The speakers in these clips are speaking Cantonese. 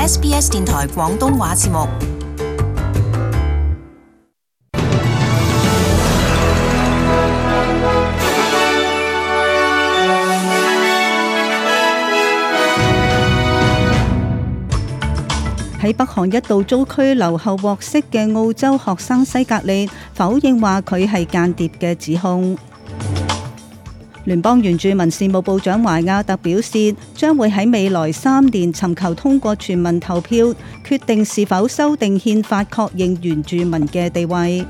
SBS 電台廣東話節目。喺北韓一度遭拘留後獲釋嘅澳洲學生西格利否認話佢係間諜嘅指控。聯邦原住民事務部長懷亞特表示，將會喺未來3年尋求通過全民投票，決定是否修訂憲法確認原住民嘅地位。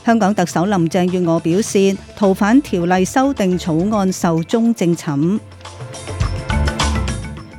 香港特首林鄭月娥表示，逃犯條例修訂草案壽終正寢。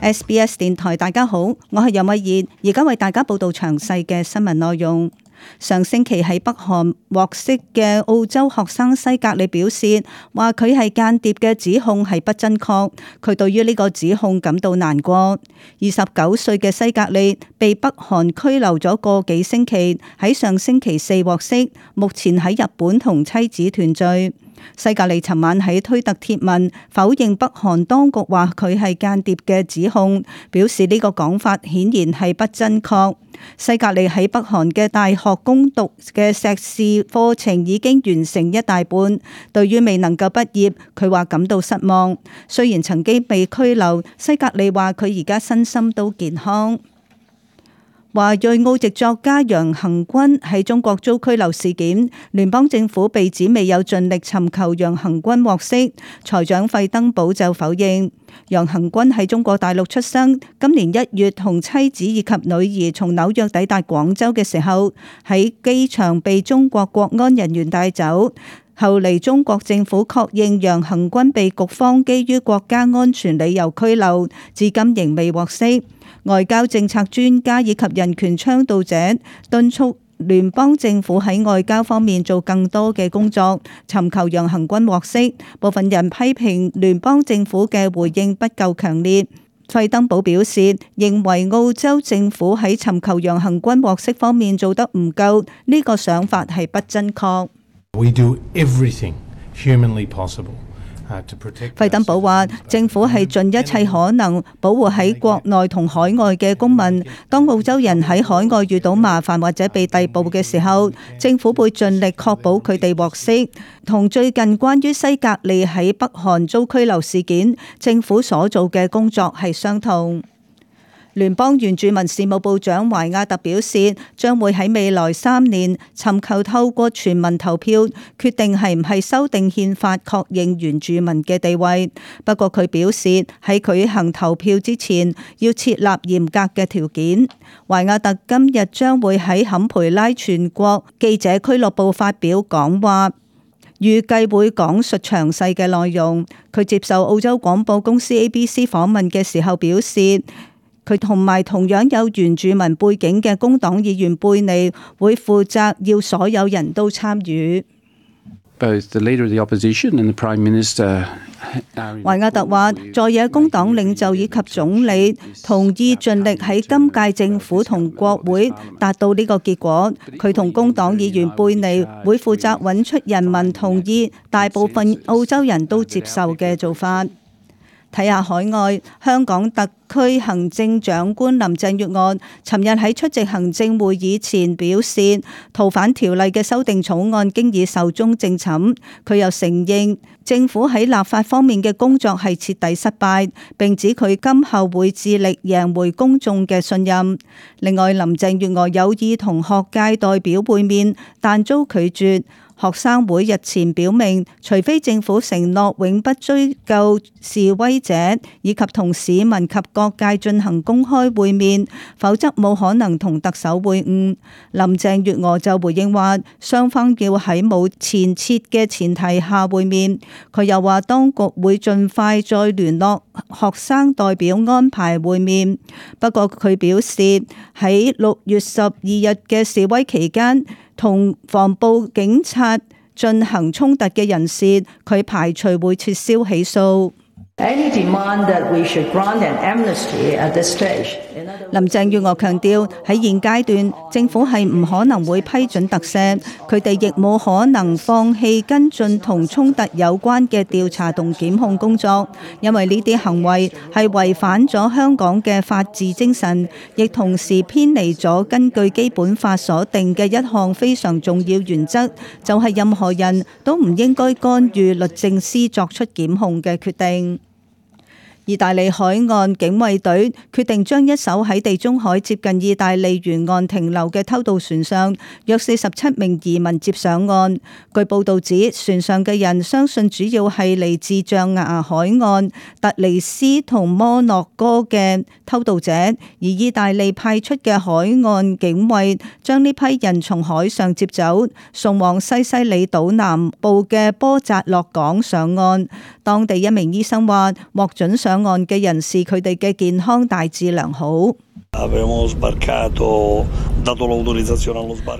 SBS 電台大家好，我係任慧燕，而家為大家報道詳細嘅新聞內容。上星期喺北韓獲釋嘅澳洲學生西格利表示，話佢係間諜嘅指控係不真確，佢對於呢個指控感到難過。29歲嘅西格利被北韓拘留咗個幾星期，喺上星期4獲釋，目前喺日本同妻子團聚。西格利尋晚喺推特貼文否認北韓當局話佢係間諜嘅指控，表示呢個講法顯然係不真確。西格利喺北韓嘅大學攻讀嘅碩士課程已經完成一大半，對於未能夠畢業，佢話感到失望。雖然曾經被拘留，西格利話佢而家身心都健康。華裔澳籍作家楊恆均喺中國遭拘留事件，聯邦政府被指未有盡力尋求楊恆均獲釋，財長費登堡就否認。楊恆均喺中國大陸出生，今年1月同妻子以及女兒從紐約抵達廣州嘅時候，喺機場被中國國安人員帶走。後嚟中國政府確認楊恆均被局方基於國家安全理由拘留，至今仍未獲釋。外交政策專家以及人權倡導者敦促聯邦政府喺外交方面做更多嘅工作，尋求楊恆均獲釋。部分人批評聯邦政府嘅回應不夠強烈。費登堡表示，認為澳洲政府喺尋求楊恆均獲釋方面做得唔夠，呢個想法係不真確。We do everything humanly possible. 費登堡話：政府係盡一切可能保護喺國內同海外嘅公民。當澳洲人喺海外遇到麻煩或者被逮捕嘅時候，政府會盡力確保佢哋獲釋。同最近關於西格利喺北韓遭拘留事件，政府所做嘅工作係相同。聯邦原住民事務部長懷亞特表示，將會喺未來3年尋求透過全民投票，決定係唔係修訂憲法確認原住民嘅地位。不過佢表示，喺舉行投票之前，要設立嚴格嘅條件。懷亞特今日將會喺坎培拉全國記者俱樂部發表講話，預計會講述詳細嘅內容。佢接受澳洲廣播公司 ABC 訪問嘅時候表示，佢同埋同樣有原住民背景嘅工黨議員貝尼會負責要所有人都參與。Both the leader of the opposition and the Prime Minister. 懷亞特話，在野工黨領袖以及總理同意盡力喺今屆政府同國會達到呢個結果。佢同工黨議員貝尼會負責揾出人民同意、大部分澳洲人都接受嘅做法。睇下海外，香港特區行政長官林鄭月娥尋日喺出席行政會議前表示，逃犯條例嘅修訂草案經已壽終正寢。佢又承認政府喺立法方面嘅工作係徹底失敗，並指佢今後會致力贏回公眾嘅信任。另外，林鄭月娥有意同學界代表會面，但遭拒絕。學生會日前表明，除非政府承諾永不追究示威者，以及同市民及各界進行公開會面，否則冇可能同特首會晤。林鄭月娥就回應話，雙方要喺冇前設嘅前提下會面。佢又話，當局會盡快再聯絡學生代表安排會面。不過佢表示，喺6月12日嘅示威期間，同防暴警察進行衝突嘅人士，佢排除會撤銷起訴。林鄭月娥強調，喺現階段，政府係唔可能會批准特赦，佢哋亦冇可能放棄跟進同衝突有關嘅調查同檢控工作，因為呢啲行為係違反咗香港嘅法治精神，亦同時偏離咗根據基本法所定嘅一項非常重要原則，就係任何人都唔應該干預律政司作出檢控嘅決定。意大利海岸警衛隊決定將一艘喺地中海接近意大利沿岸停留嘅偷渡船上約47名移民接上岸。據報道指，船上嘅人相信主要係嚟自象牙海岸、突尼斯同摩洛哥嘅偷渡者，而意大利派出嘅海岸警衛將呢批人從海上接走，送往西西里島南部嘅波扎洛港上岸。當地一名醫生話，獲准上岸嘅人士佢哋嘅健康大致良好。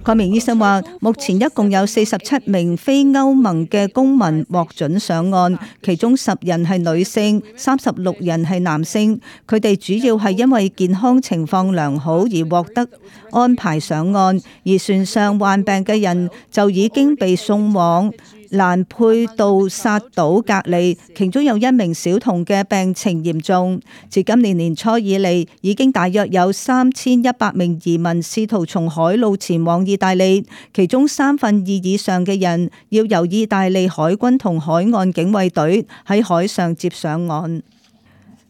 該名醫生話，目前一共有47名非歐盟嘅公民獲准上岸，其中10人係女性，36人係男性。佢哋主要係因為健康情況良好而獲得安排上岸，而船上患病嘅人就已經被送往蘭佩杜薩島隔離，其中有1名小童嘅病情嚴重。自今年年初以嚟，已經大約有3100名移民試圖從海路前往意大利，其中2/3以上嘅人要由意大利海軍同海岸警衛隊喺海上接上岸。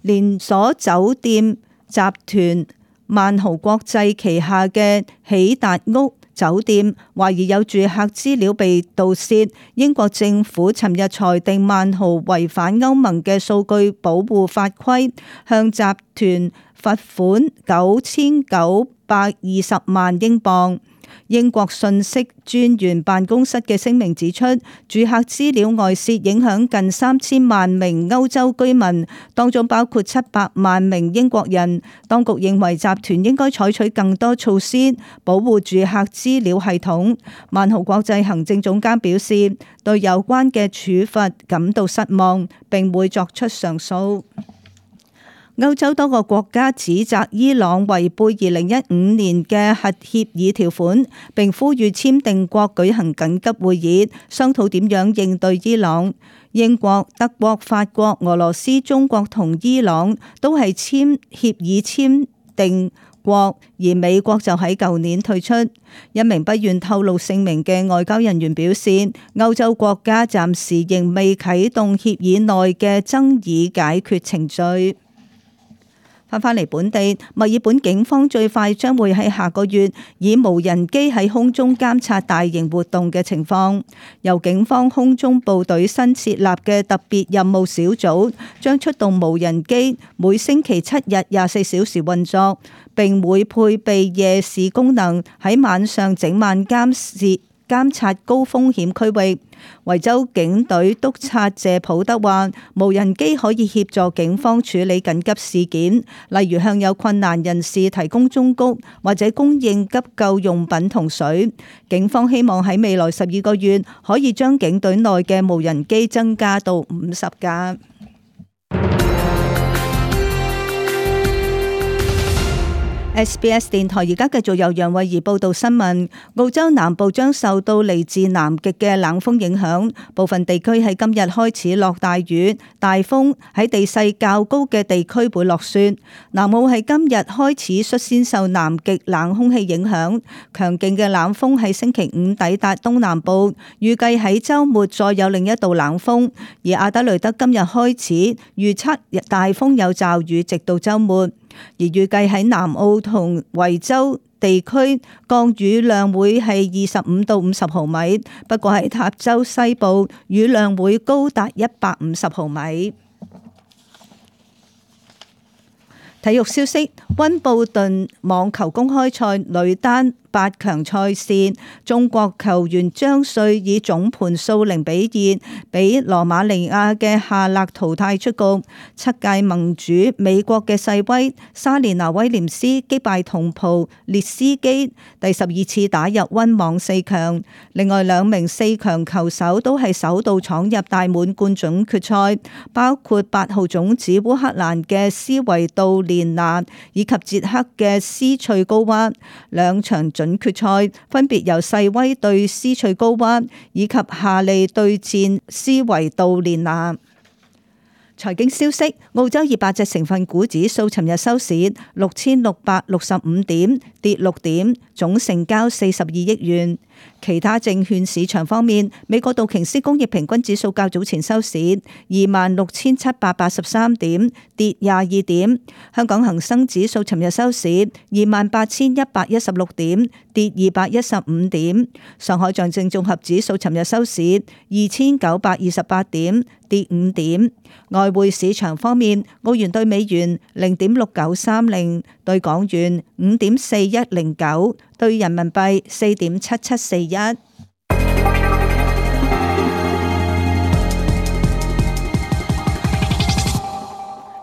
連鎖酒店集團萬豪國際旗下嘅喜達屋酒店懷疑有住客資料被盜竊，英國政府尋日裁定萬豪違反歐盟嘅數據保護法規，向集團罰款9920萬英鎊。英國信息專員辦公室嘅聲明指出，住客資料外泄影響近3000萬名歐洲居民，當中包括700萬名英國人。當局認為集團應該採取更多措施保護住客資料系統。萬豪國際行政總監表示，對有關嘅處罰感到失望，並會作出上訴。歐洲多個國家指責伊朗違背2015年嘅核協議條款，並呼籲簽訂國舉行緊急會議，商討點樣應對伊朗。英國、德國、法國、俄羅斯、中國同伊朗都係協議簽訂國，而美國就喺舊年退出。一名不願透露姓名嘅外交人員表示，歐洲國家暫時仍未啟動協議內嘅爭議解決程序。返嚟本地，墨爾本警方最快將會喺下個月以無人機喺空中監察大型活動嘅情況。由警方空中部隊新設立嘅特別任務小組將出動無人機，每星期7日24小時運作，並會配備夜視功能，喺晚上整晚監察高風險區域。維州警隊督察謝普德話，無人機可以協助警方處理緊急事件，例如向有困難人士提供忠告或者供應急救用品同水。警方希望喺未來12個月可以將警隊內嘅無人機增加到50架。SBS 電台而家繼續由楊慧儀報道新聞。澳洲南部將受到嚟自南極嘅冷鋒影響，部分地區喺今日開始落大雨、大風，喺地勢較高嘅地區會落雪。南澳喺今日開始率先受南極冷空氣影響，強勁嘅冷鋒喺星期5抵達東南部，預計喺週末再有另一道冷鋒。而阿德雷德今日開始預測大風有驟雨，直到週末。而預計喺南澳同維州地區降雨量會係25到50毫米，不過喺塔州西部雨量會高達150毫米。體育消息：溫布頓網球公開賽女單8強賽事，中國球員張瑞以總盤數0-2俾羅馬尼亞嘅夏勒淘汰出局。7屆盟主美國嘅世威莎蓮娜威廉斯擊敗同袍列斯基，第12次打入溫網4強。另外2名4強球手都係首度闖入大滿貫準決賽，包括8號種子烏克蘭嘅斯維杜連娜以及捷克嘅斯翠高娃。2場準決賽分別由世威對斯翠高娃以及夏利對戰斯維杜連娜。財經消息，澳洲200隻成分股指數尋日收市6665點，跌6點，總成交42億元。其他證券市場方面，美國道瓊斯工業平均指數較早前收市26,783點，跌22點。香港恒生指數尋日收市28,116點，跌215點。上海上證綜合指數尋日收市2,928點，跌5點。外匯市場方面，澳元對美元0.6930，對港元5.4109，對人民幣4.7741。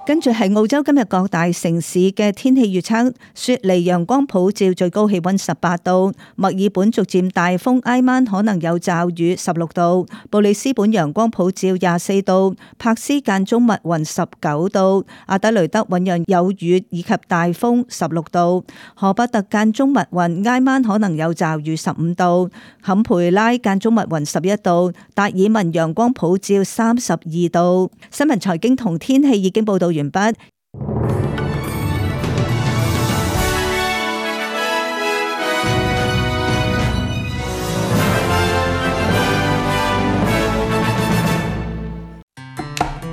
跟住係澳洲今日各大城市嘅天氣預測：雪梨陽光普照，最高氣溫18度；墨爾本逐漸大風，挨晚可能有驟雨16度；布里斯本陽光普照24度；柏斯間中密雲19度；阿德雷德醞釀有雨以及大風16度；荷伯特間中密雲，挨晚可能有驟雨15度；坎培拉間中密雲11度；達爾文陽光普照32度。新聞財經同天氣已經報道完畢。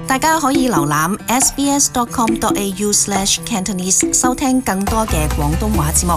大家可以瀏覽 sbs.com.au/cantonese 收聽更多嘅廣東話節目。